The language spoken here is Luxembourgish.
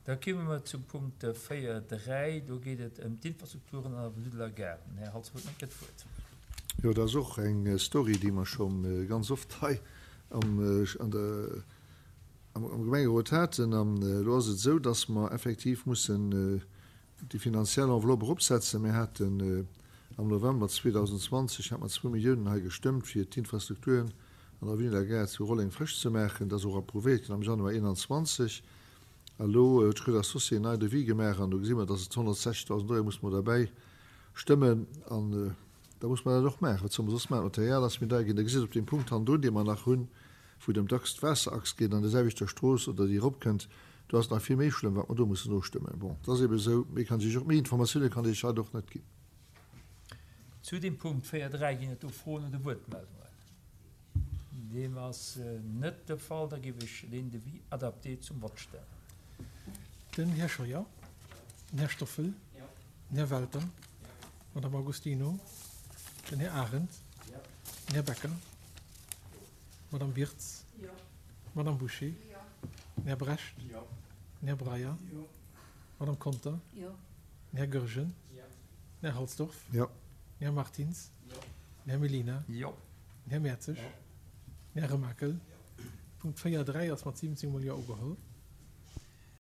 Da komme mer zum Punkt 4.3. Do geet et ëm d'Infrastrukturen an der Avenue de la Gare. Den Här Halsdorf huet nach eng Kéier d'Wuert. Jo, dat ass och eng Story, déi mer scho ganz oft hei am Gemengerot haten. An elo ass et esou, dass mer effektiv mussen déi finanziell Enveloppe eropsetzen. Mir haten am November 2020 hat mer zwou Milliounen hei gestëmmt, fir d'Infrastrukturen an der Avenue de la Gare zu Rolleng frësch ze maachen. Dat ass och approuvéiert ginn am Januar 2021. A lo huet Schröder Associés en nei Devis gemaach an do gesi mer, dass et 160.000 Euro muss mer derbäi stëmmen an da muss mer dat och maachen. Wat solle mer soss maachen? D'Material ass méi deier ginn. Da gesitt Der op deem Punkt hannendrun, dee mer nach hunn, wou et ëm d'Achs, d'Waasserachs geet an der selwechter Strooss oder déi eropkënnt, do ass et nach vill méi schlëmm, wat mer do mussen nostëmmen. Bon, et ass eebe esou, méi kann ech Iech och, méi Informatioune kann ech Iech haut och net ginn. Zu deem Punkt 4.3 ginn et do Froen oder Wuertmeldungen? Deem ass net de Fall. Da géif ech deen Devis adapté zum Vott stellen. Den Här Scheuer, den Här Stoffel, den Här Welter, d'Madame Augustino, den Här Arendt, den Här Becker, d'Madame Wirtz, d'Madame Bouché, den Här Brecht, den Här Breyer, d'Madame Conter, den Här Goergen, den Här Halsdorf, den Här Martins, den Här Mellina, den Här Mertzig, den Här Remakel. Punkt 4, 3 ass mat 17 mol Jo ugeholl.